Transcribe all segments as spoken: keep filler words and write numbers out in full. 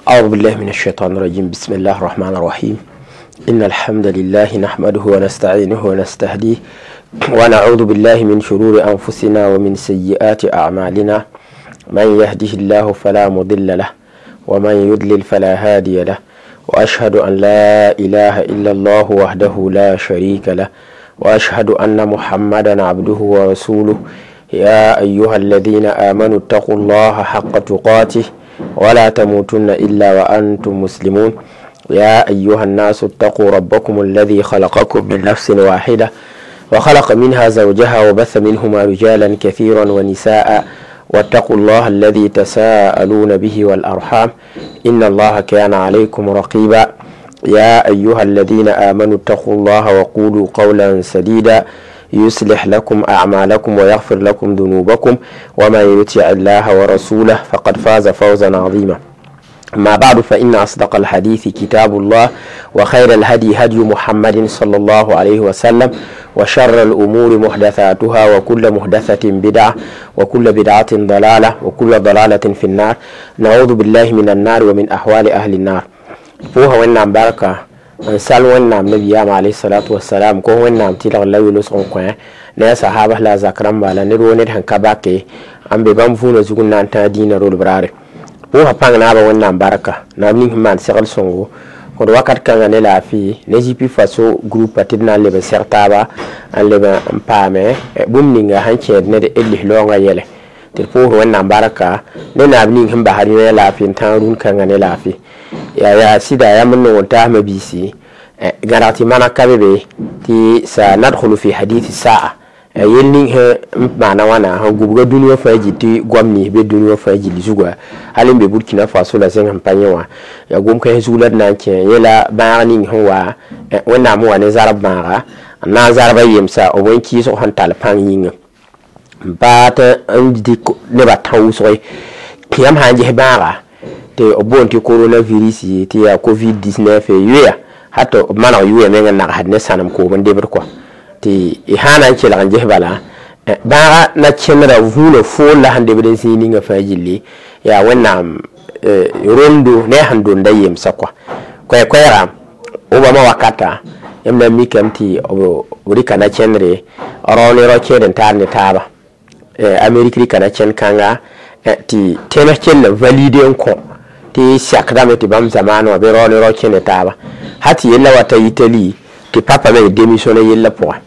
أعوذ بالله من الشيطان الرجيم. بسم الله الرحمن الرحيم. إن الحمد لله نحمده ونستعينه ونستهديه ونعوذ بالله من شرور أنفسنا ومن سيئات أعمالنا. من يهده الله فلا مضل له ومن يضلل فلا هادي له، وأشهد أن لا إله إلا الله وحده لا شريك له، وأشهد أن محمدا عبده ورسوله. يا أيها الذين آمنوا اتقوا الله حق تقاته ولا تموتن إلا وأنتم مسلمون. يا أيها الناس اتقوا ربكم الذي خلقكم من نفس واحدة وخلق منها زوجها وبث منهما رجالا كثيرا ونساء، واتقوا الله الذي تساءلون به والأرحام إن الله كان عليكم رقيبا. يا أيها الذين آمنوا اتقوا الله وقولوا قولا سديدا يصلح لكم أعمالكم ويغفر لكم ذنوبكم، ومن يطع الله ورسوله فقد فاز فوزا عظيما. ما بعد، فإن أصدق الحديث كتاب الله، وخير الهدي هدي محمد صلى الله عليه وسلم، وشر الأمور محدثاتها، وكل محدثة بدعة، وكل بدعة ضلالة، وكل ضلالة في النار. نعوذ بالله من النار ومن أحوال أهل النار. فوها وإنعم بركة n sal wẽnnaam nabiyaam alayhi wassalam ko wẽnnaam tɩlg la welosg n kõ ne a sahaba la a zak rãmba la ned woo ned sẽn ka bake n be bãmb vũunã zug n na n tãag dĩinã rolb raare. Pʋʋsã pãng naabã wẽnnaam barka naab ning sẽn maan segl sõngo kõd wakat kãngã ne laafɩ ne G P Faso groupa tɩ d na n leb n seg taaba n leb n paame bũmb ninga sẽn kẽed ned d lis-laoongã yɛlɛ tɩ d pʋʋsd wẽnnaam barka ne naab ning sẽn basd yõ laafɩ n tãag rũn kãngã ne laafɩ. Ya ya sɩda yãmb n nong n taasmã biisi gãreg tɩ maneg ka be be tɩ sanadkhulu fi hadith saa yel ning sẽn maana wãna sẽn gubga dũni wã fãa gil tɩ goam nins be dũni wã fãa gill zuga hal n be Burkina Faso la zẽng sẽn pa yẽ wã yaa gom-kãens zug la d na n kẽ yẽ la bãag ning sẽn wa wẽnnaam sẽn wa ne zarb bãaga n na n zarba yemsa b wẽn-kɩɩsg sẽn tall pãng yĩnga n baa tɩ n dɩk nebã tã wʋsg yãmb sã n ges bãaga tɩ b boond tɩ coronavirus tɩ yaa COVID dix-neuf yoeya hato b maneg yʋʋya meng n nagsd ne sãnem koom n debd kɔa tɩ y sã na n kelg n ges bala bãaga na kẽndra vũunã fool la sẽn debd n zĩig ninga fãa gilli yaa wẽnnaam rondo ne a sẽn donda yemsa kɔa koɛɛ-koɛɛga Obama wakata yãmb na n mikame tɩ b rɩka na kẽndre rao ne rao kẽed n taar ne taaba Amérique rɩka na kẽnd kãnga tɩ tẽnes kell n valide n kõ tɩ sakdame tɩ bãmb zamaan wã bɩ rao ne rao kẽ ne taaba ha tɩ yella wa ta Itali tɩ papa meng démissionné yella pʋgẽ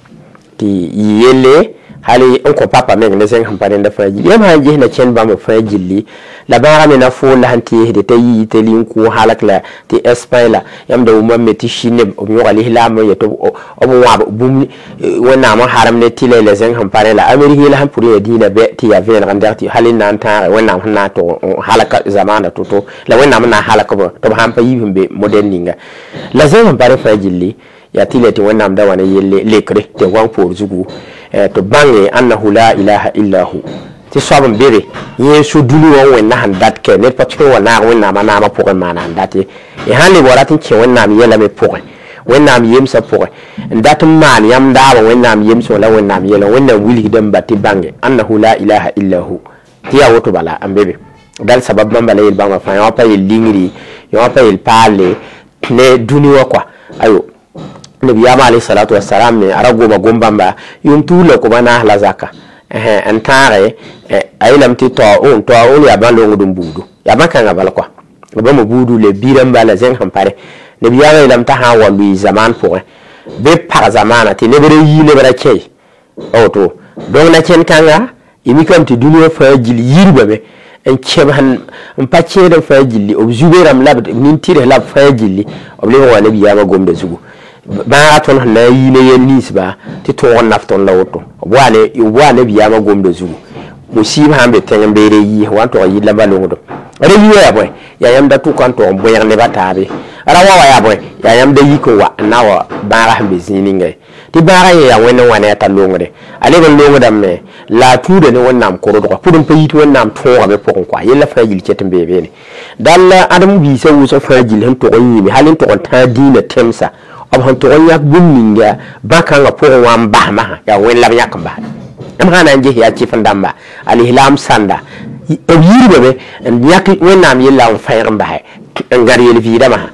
tɩ yɩ yelle hali n kõ papa meng ne zẽng sẽn pa rẽnda fãa gilli yãmb sã n ges na kẽnd bãmb fãa gilli la bãagã me na fool la sẽn teesde t'a yi Itali n kʋ halk la tɩ Espagne la yãmb da wʋmame me tɩ Chine b yõga lislaam n yet b wãb bũmb wẽnnaam n harem ne tɩlɛ la zẽng sẽn pa rẽ la Amérique yella sẽn pʋd yaa dĩinã bɛ tɩ yaa vẽeneg n dɛg tɩ hal n na n tãage wẽnnaam sẽn na n tʋg n halka zamaana to-to la wẽnnaam n na n halk b tɩ b sãn pa yiib sẽn be modɛl ninga la zẽng sẽn pa rẽ fãa gilli yaa tɩ la tɩ wẽnnaam da wa ne yelle lekre tɩ goam poor zugu tɩ bãnge annahu la ilaha illa hu tɩ soab n be be yẽ so dũni wã wẽnna sẽn dat kɛ ned pa tõe n wa naag wẽnnaamã naamã pʋgẽ maana sẽn dat ye y sãn leb wa rat n kẽ wẽnnaam yɛla me pʋgẽ wẽnnaam yemsã pʋgẽ n dat n maan yãmb daabã wẽnnaam yemsẽ la wẽnnaam yɛla wẽnnaam wilgda n ba tɩ bãnge annahu la ilaha illa hu tɩ yaa woto bala n be be dal sabab bãmba la yel-bãmba fãa yã pa yel lingri yã pa yel paalle ne dũni wã kɔa ayo nabiyama alayhi salatu wassalam me ara goma gom bãmba yʋʋm tuur la koba naas la zaka n tãage a yeelame tɩ taoun taoun yaa bãn longd n buudu yaa bãn-kãngã bala kɔa bãmb buudu le bi-rãmba la zẽng sẽn pare nabiyaamã yeelame t'a sã n wa lʋɩ zamaan pʋgẽ bɩ pag zamaana tɩ neb ra yii neb ra kẽ woto donc na kẽnd kãnga y mikame tɩ dũni wã fãa gill yirbame n kẽb n pa kẽed n fãa gilli b zube rãmb la b nin-tɩrs la b fãa gilli b lebg wa nabiyaamã gomda zugu bãaga tõnd sẽn na n yi ne yel ninsba tɩ tõog n naf tõnd la woto b wa nabiyaamã gomda zugu musiib sãn be tẽng n beere yiis wa n tog n yɩ lamba longdo ra yi wã yaa bõe yaa yãmb da tʋka n tog n bõeg neba taabe ra wa wa yaa bõe yaa yãmb da yik n wa n na wa bãaga sẽn be zĩig ninga ye tɩ bãaga yẽ yaa wẽnd n wa ne a t'a longre a leb n longdame la a tuuda ne wẽnnaam korodga pʋd n pa yit wẽnnaam tõogame pʋgẽ kɔa yella fãa gill ket n bee beene dal ãdem biisã wʋsg fãa gill sẽn tog n yĩme hal n tog n tãag dĩinã tẽmsa b sẽn tog n yãk bũmb ninga bã-kãngã pʋgẽ wã n basmã yaa wẽnd la b yãk n bas yãmb sã na n ges yaa kɩf n dãmba alislam sãnda B yiibame n yãk Wẽnnaam yella n fãeeg n basɛ n gãd yel-vɩɩdã masã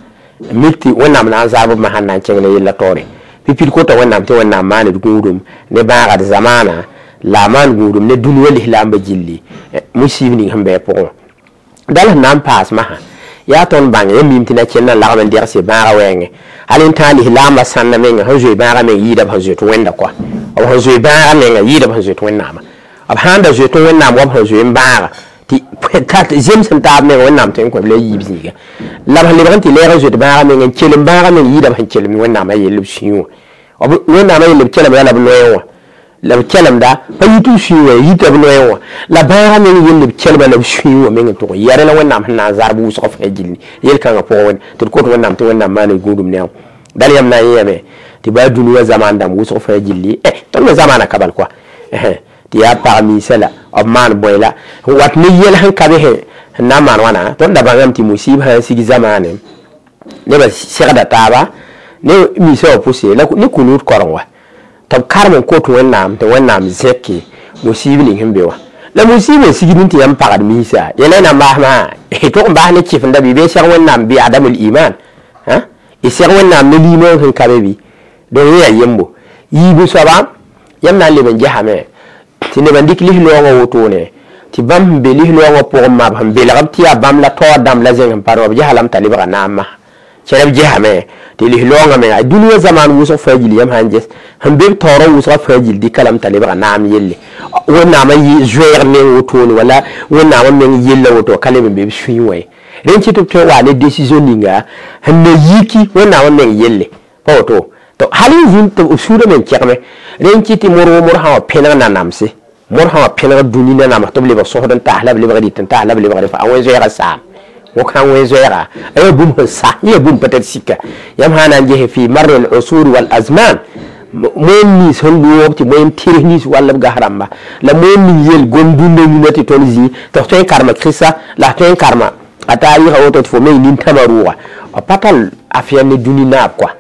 mik tɩ Wẽnnaam na n zaab b masã n na n kẽng ne yella taoore pipil kota Wẽnnaam tɩ Wẽnnaam maand gũudum ne bãagd zamaana la a maan gũudum ne dũni wã lislaambã gilli musiib ning sẽn bɩ a pʋgẽ wã dal sẽn na n paas masã yaa tõnd bãng yã mim tɩ na kẽnd n lagm n degse bãagã wɛɛngẽ hal n tãag lislaambã sãnda menga sẽn zoe bãagã meng yɩɩda b sẽn zoet wẽnda kɔa b sẽn zoe bãagã menga yɩɩda b sẽn zoet Wẽnnaamã b sãn da zoet Wẽnnaam wa b sẽn zoe n bãaga tɩ zems n taab menga Wẽnnaam tõe n kõ b la yiib zĩiga la b sẽn lebg n tɩ lɛɛg n zoet bãagã meng n kelem bãagã meng yɩɩda b sẽn kelem Wẽnnaamã yell b sũyẽ wã Wẽnnaamã yell b kelemda la b noyẽ wã la b kelemda pa yit b sũyẽ wã yita b noyẽ wã la bãagã meng yell b kelma la b sũyẽ wã meng n tʋg n yɛrẽ la Wẽnnaam sẽn na n zarb wʋsg fãa gilli yel-kãngã pʋgẽ wẽnd tɩ d kot Wẽnnaam tɩ Wẽnnaam maan gũudum ne a dal yãmb na n yẽame tɩ baa dũni wã zamaan dãmb wʋsg fãa gilli tõnd me zamaana ka bal koa tɩ yaa pag miisã la b maan bõe la wat ne yɛl sẽn ka be sẽn na n maan wãna tõnd da bãngame tɩ musiib sã n sig zamaane nebã segda taaba ne miisã wã pʋse la ne kũnuud koreng wa tɩ b karem n kot Wẽnnaam tɩ Wẽnnaam zẽke musiib ning sẽn be wã la musiib n sigd tɩ yãmb pagd miisã yẽla y na n baas maa y tʋg n baas ne kɩfenda bɩ bɩ seg Wẽnnaam bɩ adamul iman y seg Wẽnnaam ne liimã sẽn ka be bɩ donc yẽ yaa yembo yiibu soaba yãmb na n leb n gesame tɩ neb n dɩk lislaoongã wotone tɩ bãmb sẽn be lislaoongã pʋgẽ ma b sẽn belg b tɩ yaa bãmb la taoor dãmb la zẽng n pa b gesa lame t'a lebga naam masã kẽrb gesame tɩ lislaoongã menga dũni wã zamaan wʋsg fãa gill yãmb sã n ges sẽn be b taoorã wʋsgã fãa gill dɩka lame t'a lebga naam yelle Wẽnnaamã zoeeg meng wotone wala Wẽnnaamã meng yella woto ka leb n be b sũyẽ wã ye rẽnd kɩ tɩ b tõe n wa ne décision ninga sẽn na yiki Wẽnnaamã meng yelle pa woto to hal n zĩnd tɩ b sũurã meng kẽgme rẽnd kɩ tɩ mor wo mor sã wã pẽneg nanamse mor sã wã pẽneg dũni nanams tɩ b lebg sõsd n taas la b lebg rɩt n taas la b lebg fa a wẽn-zoɛɛgã saam wõk sã wẽn-zoɛɛga a yaa bũmb sẽn sa yẽ yaa bũmb peut-être sika yãmb sã na n gese fi marr al usur wal azman moem nins sẽn loog tɩ moem tɩrs nins wall b gas rãmba la moem ning yel gom dũnna yĩna tɩ tõnd zĩ tɩ f tõe n karema kɩsa la f tõe n karema a taarɩsã woto tɩ fo meng nintãmã rʋʋga b pa tall affaire ne dũni naab kɔa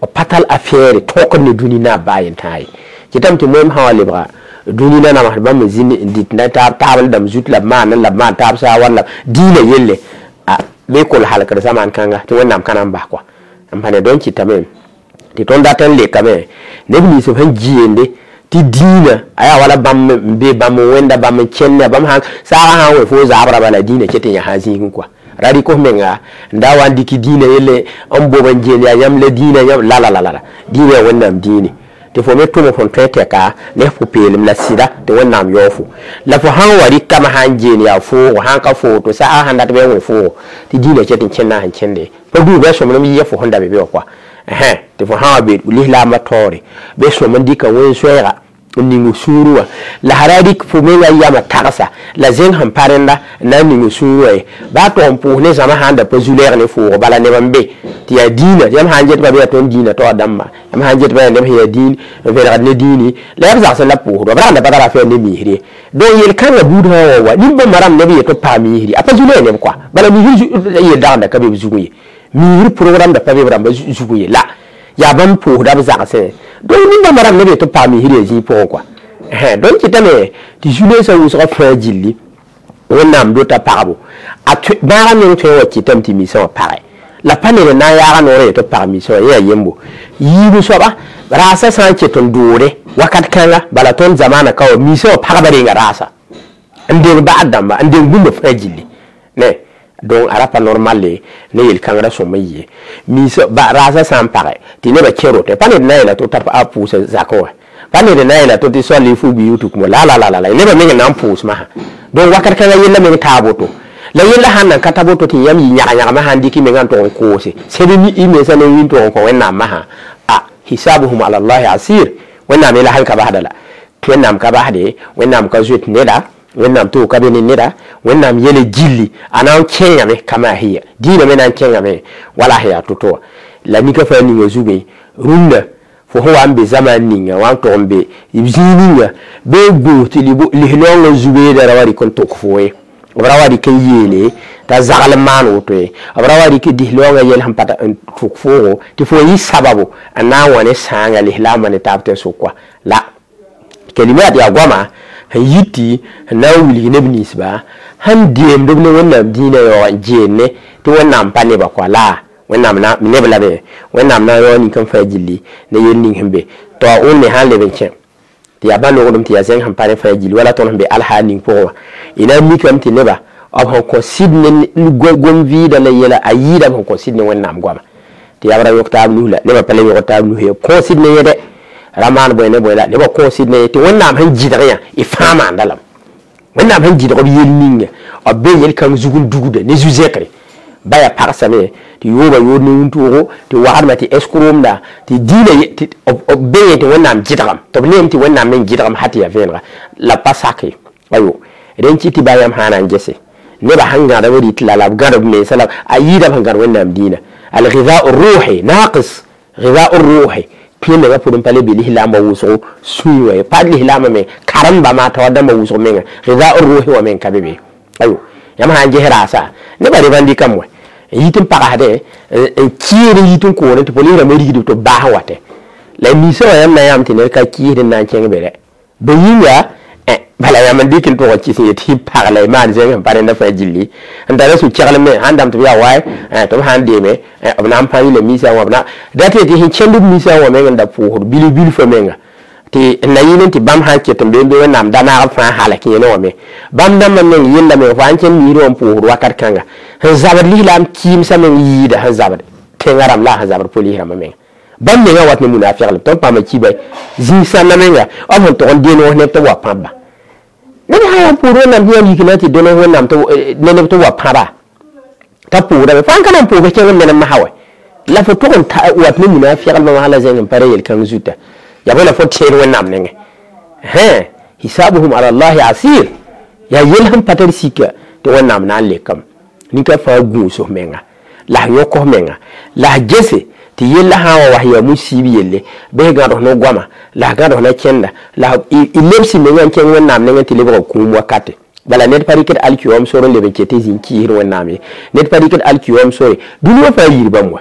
b pa tall affaire tõkd ne dũni naab baa yen-tãa ye kɩtame tɩ moem sã wa lebga dũni nanamsd bãmb zĩnd n dɩt na taab taabl dãmb zut la b maan la b maan taab saawar la dĩinã yelle bɩ kol halkd zamaan kãnga tɩ Wẽnnaam ka na n bas kɔa n pa ne donc kɩtame tɩ tõnd dat n lekame neb nins sẽn gɩɩnde tɩ dĩinã a yaa wala bãmb n be bãmb n wẽnda bãmb n kẽnda bãmb sã saagã sã n wẽ fo zaabra bala dĩinã ket n yãsa zĩigẽ kɔa ra rɩk f menga n da wa n dɩk dĩinã yelle n bob n geel yaa yãmb la dĩinã yãmb la la la la dĩinã yaa Wẽnnaam dĩine tɩ fo me tʋm fõn tõe tɛka ne f pʋ-peelem la sɩda tɩ Wẽnnaam yao fo la fo sãn wa rɩkame sã n geen yaa foogo sã n ka foogo tɩ saasã sãn dat bɩ a wẽ foogo tɩ dĩinã ket n kẽnda sẽn kẽnde pa gũus bɩ a sõmblem yɩ fo sẽn da be bɩ wã kɔa tɩ fo sã wa be lislaambã taoore bɩ sõm n dɩka wẽn-zoɛɛga n ning sũurẽ wã la sã ra rɩk fo menga yamã tagsa la zẽng sẽn pa rẽnda n na n ning sũurẽ wã ye baa tog n pʋʋs ne zãma sã n da pa zu-lɛɛg ne foogo bala neb n be tɩ yaa dĩinã yãmb sã n get ba bɩ yaa tõnd dĩinã taoor dãmba yãmb sã n get ba yaa neb sẽn yaa dĩin n vẽlgd ne dĩini la yaa b zagsẽ la b pʋʋsd b rag n da pa tara affaire ne miisr ye donc yel-kãngã buud sã wã wa nin-bãmba rãmb neb yetɩ b paam miisri a pa zu-lɛɛg neb kɔa bala miisr yel dagenda ka be b zugẽ ye miisr programme da pa be b rãmba zugẽ ye la yaa bãmb pʋʋsda b zagsẽ donc nin-bãmba rãmb neb yetɩ b paam miisr yaa zĩig pʋgẽ kɔa donc kɩtame tɩ zu-lensã wʋsgã fãa gilli Wẽnnaam dota pagbo a bãagã meng tõe n wa kɩtame tɩ miisã wã pagɛ la pa ned n na n yaaga noorã yetɩ b pag miisã wã yẽ yaa yembo yiibu soaba raasã sã n ket n doore wakat kãnga bala tõnd zamaana ka wa miisã wã pagba renga raasa n deng ba'ad dãmba n deng bũmba fãa gilli ne donc a ra pa normal ne yel-kãngrã sõm n yɩ miisã raasã sã n pagɛ tɩ nebã kẽ rote pa ned na n yeela tɩ a pʋʋsa zakẽ wã pa ned na n yeela tɩ tɩ soal y fu bɩ tɩ la la la la nebã meng n na n pʋʋs masã donc wakat kãngã yella meng taa boto la yella sãn nan ka ta boto tɩ yãmb yɩ yãg-yãgmã sã n dɩk y mengã n tʋg n koose sẽd y mensã ne wĩn tʋg n kõ Wẽnnaam masã a hisabuhum ala llahi asir Wẽnnaam yella sãn ka basda la Wẽnnaam ka basde Wẽnnaam ka zoet neda Wẽnnaam tʋʋg ka be ne neda Wẽnnaam yele gilli a na n kẽngame kama hiya dĩinã me na n kẽngame wala sẽn yaa to-to wã la nika fãa ninga zugẽ rũndã fo sẽn wa n be zamaan ninga wa n tʋg n be zĩig ninga bɩ gũus tɩ lislaoongã zu-beedã ra wa rɩk n tʋk fo ye b ra wa rɩk n yeele t'a zagl n maan woto ye b ra wa rɩk lislaoongã yɛl sẽn pa n tʋk foogo tɩ fo yɩ sababu n na n wa ne sãanga lislaambã ne taab tẽn-sʋk la kalimat yaa goama sẽn yiti sẽn na n wilg neb ninsba sẽn deemd b ne wẽnnaam dĩinã yaoog n geenne tɩ wẽnnaam pa nebã kɔa la wẽnnaam neb la be wẽnnaam na n yaoog nin-kãng fãa gilli ne yel ning sẽn be tɩ a wẽnde sã n leb n kẽ tɩ yaa bã-nogdem tɩ yaa zẽng sẽn pa ne fãa gilli wala tõnd sẽn be alhaal ning pʋgẽ wã y na n mikame tɩ neba b sẽn kõ sɩd ne gom-vɩɩda la yɛla a yɩɩda b sẽn kõ sɩd ne wẽnnaam goama tɩ yaa b ra yõk taab nus la nebã pa le yõgd taab nus ye kõ sɩd ne yẽde ra maan bõe ne bõe la nebã kõ sɩd ne ye tɩ wẽnnaam sẽn gɩdg yã y fãa maanda lame wẽnnaam sẽn gɩdg b yel ninga b be yel-kãng zug n dugda ne zu-zẽkre ba yaa pagsame tɩ yooba yood ne wũntoogo tɩ wagdma tɩ eskromda tɩ dĩinã b be yẽ tɩ wẽnnaam gɩdgame tɩ b neem tɩ wẽnnaam meng gɩdgame ha tɩ yaa vẽenega la b pa sak ye ayo rẽn kɩ tɩ ba yãmb sã na n gese nebã sẽn gãdb rɩt la la b gãd b mensa la a yɩɩda b sẽn gãd wẽnnaam dĩinã alghidau ruhi naqis ghidau ruhi kẽ menga pʋgẽ pa le be lislaambã wʋsgo sũy wã ye pa lislaambã me karembã maa taoor dãmbã wʋsg menga ghidau ruhi wã meng ka be be ayo yãmb sã n ges raasa nebã revendikame wɛ n yit n pagsdẽ n kɩɩd n yit n koorẽ tɩ polis rãmbã rigdb tɩ b baas n watɛ la ninsã wã yãmb na yãmb tɩ ned ka kɩɩsd n na n kẽng be rɛ bõe yĩnga bala yãmb n dɩk n tʋg n kɩs n yet tɩ pag la y maan zẽng sẽn pa rẽnda fãa gilli n tara sũ-kɛglem me sãn dãmb tɩ b yaa waay tɩ b sã n deeme b na n pã yɩla misã wã b na dat tɩ sẽn kẽnd b misã wã meng n da pʋʋsd bilf bilfã menga tɩ n na yɩl n tɩ bãmb sã n ket n be n be wẽnnaam da naag b fãa halak yẽne wã me bãmb dãmbã meng yella meng fo sãn kẽnd miisd wã n pʋʋsd wakat kãnga sẽn zabd lislaam kɩɩmsã meng yɩɩda sẽn zabd tẽngã rãmb la sẽn zabd polis rãmbã menga bãmb mengã wat ne munafɩglem tõnd paama kiba zĩig-sãndã menga b sẽn tog n denog neb tɩ b wa pãbba ned sã yaa pʋʋd wẽnnaam tɩ yãmb yik na tɩ dõneg wẽnnaam ne neb tɩ wa pãba t'a pʋʋdame fo sãn ka na n pʋʋg kẽng n menem masã wɛ la fo tog n wat ne munafɩglmã masã la zẽng n pa ra yel-kãng zuta yaa bõe la fo tẽed wẽnnaam nengẽ hẽ hisabuhum ala llahi asir yaa yel sẽn pa tar sika tɩ wẽnnaam na n lekame nin-ka fãa gũus f menga la f yõk f menga la f gese tɩ yella sã n wa was yaa musiib yelle bɩ gãd f no goama la f gãd f na kẽnda la y lebs menga n kẽng wẽnnaam nengẽ tɩ lebg b kũum wakate bala ned pa rɩkd alkiyom sor n leb n ket tɩ zĩ n kiisd wẽnnaam ye ned pa rɩkd alkiyom sore dũni wã fãa yir bãmb wa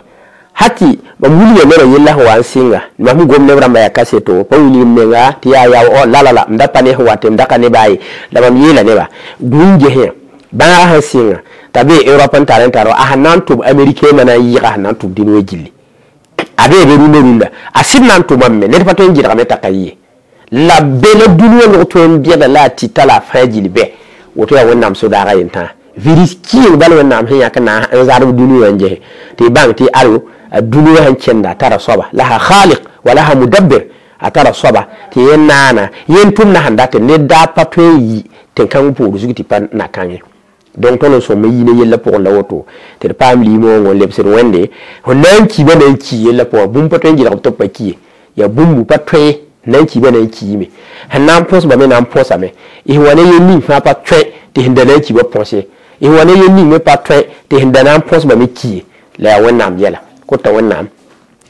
hati mam wilga nebã yella sẽn wa n sɩnga mam gom neb rãmbã yaa kaseto pa wilg m menga tɩ yaa yaa la la la m da pa ne sẽn wat m da ka nebã ye la mam yeela nebã gũun gesẽ bãaga sẽn sɩnga t'a bee Europe n tar n tar a sẽn na n tʋm américain ma na n yɩga sẽn na n tʋm dũni wã gilli a bee be rũndã rũndã a sɩd na n tʋmame me ned pa tõe n gɩdgame t'a ka yɩ la be la dũni wã log tõe n bẽda la a tɩta la a fãa gill bɛ woto yaa wẽnnaam so-daaga yentãa virus kɩɩng bal wẽnnaam sẽn yãk na n zadb dũni wã n gese tɩ y bãng tɩ alo a dũni wã sẽn kẽnda a tara soaba laha khaliq wa laha mudabbir a tara soaba tɩ yẽ naana yẽn tʋmda sẽn dat ned daa pa tõe n yi tẽn-kãng poor zug tɩ pa na kãngẽ donc tõnd n sõm n yi ne yellã pʋgẽ la woto tɩ d paam liimoongõ n lebsd wẽnde fo na n kiibã na n ki yellã pʋgã bũmb pa tõe n gɩdg tɩ b pa ki ye yaa bũmb pa tõe na n kiibã na n kiime sẽn na n põsba me na n põsame y sẽn wa ne yel ning fãa pa tõe tɩ sẽn da na n kiibã põs ye y sẽn wa ne yel ning me pa tõe tɩ sẽn da na n põsba me ki ye la yaa wẽnnaam yɛla kota wẽnnaam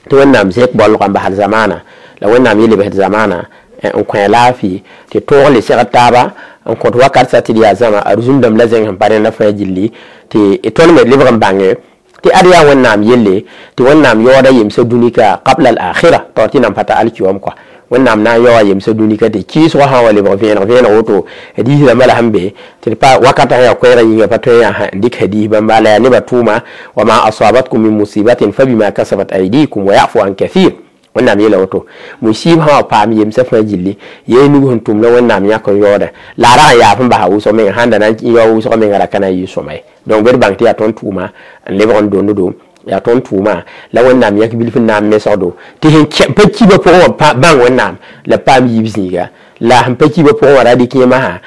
tɩ wẽnnaam zẽk baoolgã n basd zamaana la wẽnnaam yele basd zamaana n kõ laafɩ tɩ tõog le segd taaba n kõt wakat sa tɩ d yaa zãma a rũsum-dãmb la zẽng sẽn pa rẽnda fãa gilli tɩ tõnd me lebg n bãnge tɩ ad yaa wẽnnaam yelle tɩ wẽnnaam yaooda yemsã dũni ka qabla al-akhira taoor tɩ nan pa ta alkiyom kɔa wẽnnaam na n yaoa yemsã dũni ka tɩ kɩɩsgã sã n wa lebg vẽeneg vẽeneg woto hadiis rãmbã la sẽn be tɩ d pa wakatã sẽn yaa koɛɛgã yĩnga pa tõe n dɩk hadiis bãmba la yaa nebã tʋʋma wa ma asabatkum min musibatin fabima kasabat aydikum wa yafu an kathir wẽnnaam yeela woto musiib sã wa paam yemsã fãa gilli yee nug sẽn tʋm la wẽnnaam yãk n yaooda la a rag n yaaf n basa wʋsg menga sãn da na n yao wʋsg menga ra ka na n yɩ sõma ye donc bɩ d bãng tɩ yaa tõnd tʋʋma n lebg n donddo yaa tõnd tʋʋma la wẽnnaam yãk bilf n na n mesgdo tɩ sẽn pa kiibã pʋgẽ wã bãng wẽnnaam la paam yiib zĩiga la sẽn pa kiibã pʋgẽ wã ra dɩk yẽ masã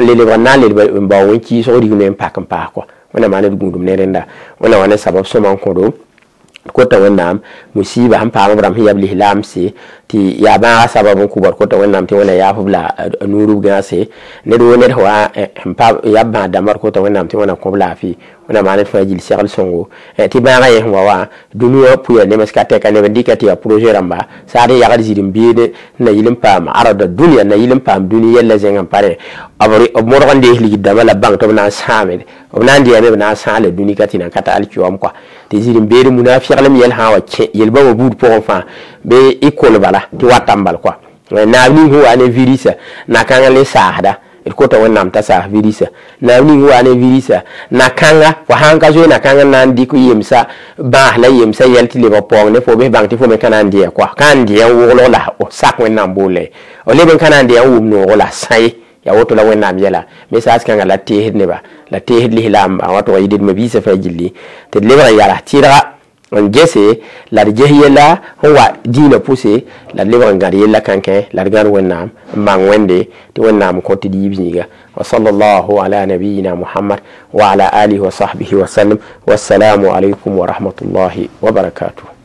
n le lebg n na n leb n bao wẽn-kɩɩsg rig me n pak n paas kɔa wẽnnaam maa ned gũudum ne rẽnda wẽnnaam wa ne sabab sõma n kõdo kota wẽnnaam musiiba sẽn paam b rãmb sẽn yaa b lislaamse tɩ yaa bãaga sabab n kʋ kota wẽnnaam tɩ wẽnna yaaf b la nuurb gãase ned woo ned wa sẽn pa yaa b bãad dãmbã d kota wẽnnaam tɩ wẽnna kõ b laafɩ wẽnnaam maa ned fãa gill segl sõngo tɩ bãagã yẽ sẽn wa wã dũni wã pʋya nems ka tɛka neb n dɩka tɩ yaa projet rãmba saad n yagd zĩr n beede n na yɩl n paam arada dũniyã n na yɩl n paam dũni yɛlla zẽng n pa rẽ b modg n dees ligd dãmbã la bãng tɩ b na n sãame b na n dɩyame b na n sãala dũni ka tɩ nan ka ta alkiyom kɔa tɩ zĩr n beed munafɩglem yɛl sã n wa kẽ yel-bãmba buud pʋgẽ fãa bɩ y kol bala tɩ wata n bal kɔa Naab ning sẽn wa ne virisa na-kãngã le saasda d kota Wẽnnaam t'a saas virisa naab ning sẽn wa ne virisa na-kãnga fo sãn ka zoe na-kãngã na n dɩk yemsa bãas la yemsa yɛl tɩ lebg paoong ne fo bɩ bãng tɩ fo me ka na n dɩ kɔa ka n dɩ n woglg la sak Wẽnnaam boole f leb n ka na n dɩ n wʋm noogo la sã ye ya woto la Wẽnnaam yɛla me saas kãngã la teesd neba la teesd lislaam a wa tʋg yɩ d mabiisã fãa gilli tɩ d lebg n yala tɩrga n gese la d ges yella sẽn wa dĩinã pʋse la d lebg n gãd yella kãnkẽ la d gãd Wẽnnaam n bãng Wẽnde tɩ Wẽnnaam kõ tɩ d yiib zĩiga. Wa sallallahu ala nabiyina Muhammad wa ala alihi wa sahbihi wa sallam. Wassalamu alaykum wa rahmatullahi wa barakatuh.